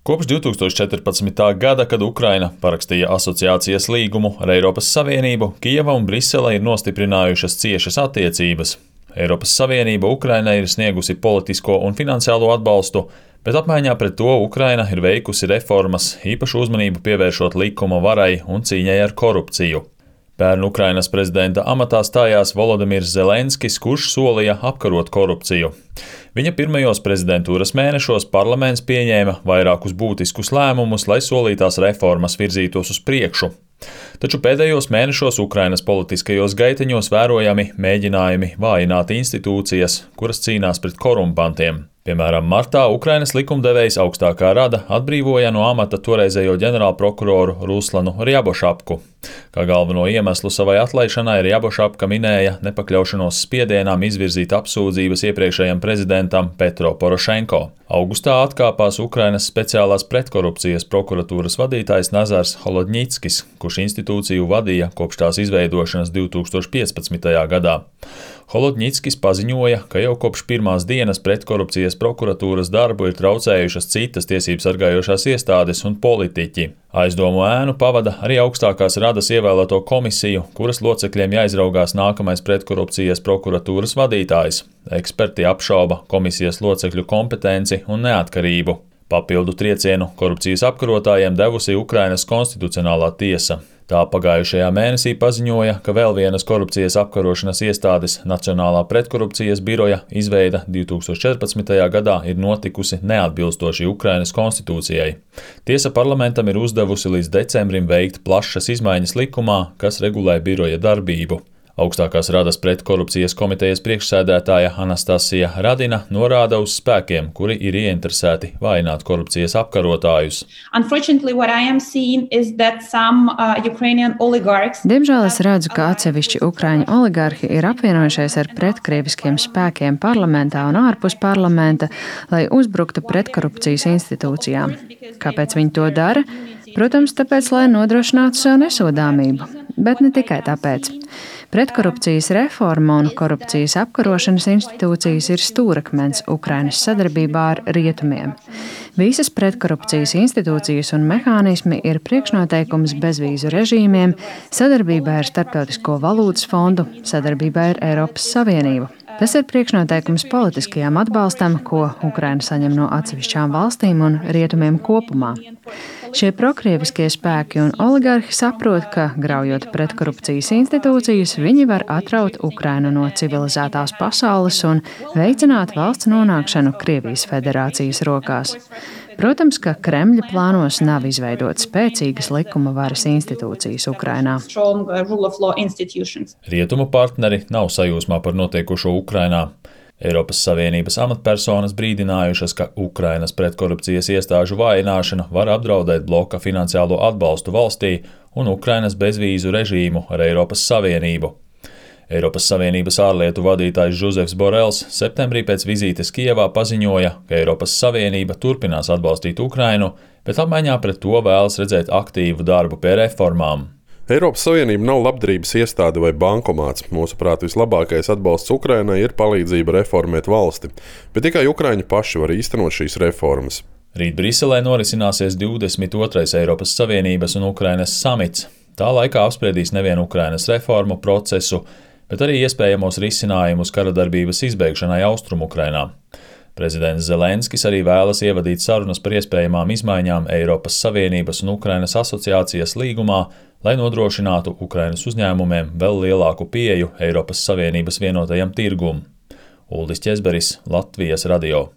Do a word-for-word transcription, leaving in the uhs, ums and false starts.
Kopš divs tūkstoši četrpadsmitā gada, kad Ukraina parakstīja asociācijas līgumu ar Eiropas Savienību, Kijeva un Brisele ir nostiprinājušas ciešas attiecības. Eiropas Savienība Ukrainai ir sniegusi politisko un finansiālo atbalstu, bet apmaiņā pret to Ukraina ir veikusi reformas, īpašu uzmanību pievēršot likuma varai un cīņai ar korupciju. Pērn Ukrainas prezidenta amatā stājās Volodimirs Zelenskis, kurš solīja apkarot korupciju. Viņa pirmajos prezidentūras mēnešos parlaments pieņēma vairākus būtiskus lēmumus, lai solītās reformas virzītos uz priekšu. Taču pēdējos mēnešos Ukrainas politiskajos gaiteņos vērojami mēģinājumi vājināt institūcijas, kuras cīnās pret korumpantiem. Piemēram, martā Ukrainas likumdevējs augstākā rada atbrīvoja no amata toreizējo ģenerālprokuroru Ruslanu Rjabošapku. Kā galveno iemeslu savai atlaišanai Rjabošapka minēja nepakļaušanos spiedienām izvirzīt apsūdzības iepriekšējam prezidentam Petro Porošenko. Augustā atkāpās Ukrainas speciālās pretkorupcijas prokuratūras vadītājs Nazars Holodņickis, kurš institūciju vadīja kopš tās izveidošanas divs tūkstoši piecpadsmitajā gadā. Holodņickis paziņoja, ka jau kopš pirmās dienas pretkorupcijas prokuratūras darbu ir traucējušas citas tiesības sargājošās iestādes un politiķi. Aizdomu ēnu pavada arī augstākās radas ievēlēto komisiju, kuras locekļiem jāizraugās nākamais pretkorupcijas prokuratūras vadītājs. Eksperti apšauba komisijas locekļu kompetenci un neatkarību. Papildu triecienu korupcijas apkarotājiem devusi Ukrainas konstitucionālā tiesa. Tā pagājušajā mēnesī paziņoja, ka vēl vienas korupcijas apkarošanas iestādes Nacionālā pretkorupcijas biroja izveida divs tūkstoši četrpadsmitajā gadā ir notikusi neatbilstoši Ukrainas konstitūcijai. Tiesa parlamentam ir uzdevusi līdz decembrim veikt plašas izmaiņas likumā, kas regulē biroja darbību. Augstākās radas pretkorupcijas komitejas priekšsēdētāja Anastasija Radina norāda uz spēkiem, kuri ir ieinteresēti vājināt korupcijas apkarotājus. Diemžēl es redzu, ka atsevišķi ukraiņu oligarhi ir apvienojušies ar pretkrieviskiem spēkiem parlamentā un ārpus parlamenta, lai uzbruktu pretkorupcijas institūcijām. Kāpēc viņi to dara? Protams, tāpēc, lai nodrošinātu sev nesodāmību, bet ne tikai tāpēc. Pretkorupcijas reforma un korupcijas apkarošanas institūcijas ir stūrakmens Ukrainas sadarbībā ar rietumiem. Visas pretkorupcijas institūcijas un mehānismi ir priekšnoteikums bezvīzu režīmiem, sadarbībai ar Starptautisko valūtas fondu, sadarbībai ar Eiropas Savienību. Tas ir priekšnoteikums politiskajam atbalstam, ko Ukraina saņem no atsevišķām valstīm un rietumiem kopumā. Šie prokrieviskie spēki un oligarhi saprot, ka, graujot pretkorupcijas institūcijas, viņi var atraut Ukrainu no civilizētās pasaules un veicināt valsts nonākšanu Krievijas federācijas rokās. Protams, ka Kremļa plānos nav izveidot spēcīgas likuma varas institūcijas Ukrainā. Rietumu partneri nav sajūsmā par notiekušo Ukrainā. Eiropas Savienības amatpersonas brīdinājušas, ka Ukrainas pretkorupcijas iestāžu vājināšana var apdraudēt bloka finansiālo atbalstu valstī un Ukrainas bezvīzu režīmu ar Eiropas Savienību. Eiropas Savienības ārlietu vadītājs Žuzefs Borels septembrī pēc vizītes Kijevā paziņoja, ka Eiropas Savienība turpinās atbalstīt Ukrainu, bet apmaiņā pret to vēlas redzēt aktīvu darbu pie reformām. Eiropas Savienība nav labdarības iestāde vai bankomāts. Mūsuprāt, vislabākais atbalsts Ukrainai ir palīdzība reformēt valsti, bet tikai ukraiņi paši var īstenot šīs reformas. Rīt Briselē norisināsies divdesmit otrais Eiropas Savienības un Ukrainas samits. Tā laikā apspriedīs nevienu Ukrainas reformu procesu, bet arī iespējamos risinājumus karadarbības izbeigšanai Austrumukrainā. Prezidents Zelenskis arī vēlas ievadīt sarunas par iespējamām izmaiņām Eiropas Savienības un Ukrainas asociācijas līgumā, lai nodrošinātu Ukrainas uzņēmumiem vēl lielāku pieeju Eiropas Savienības vienotajam tirgum. Uldis Ķezberis, Latvijas radio.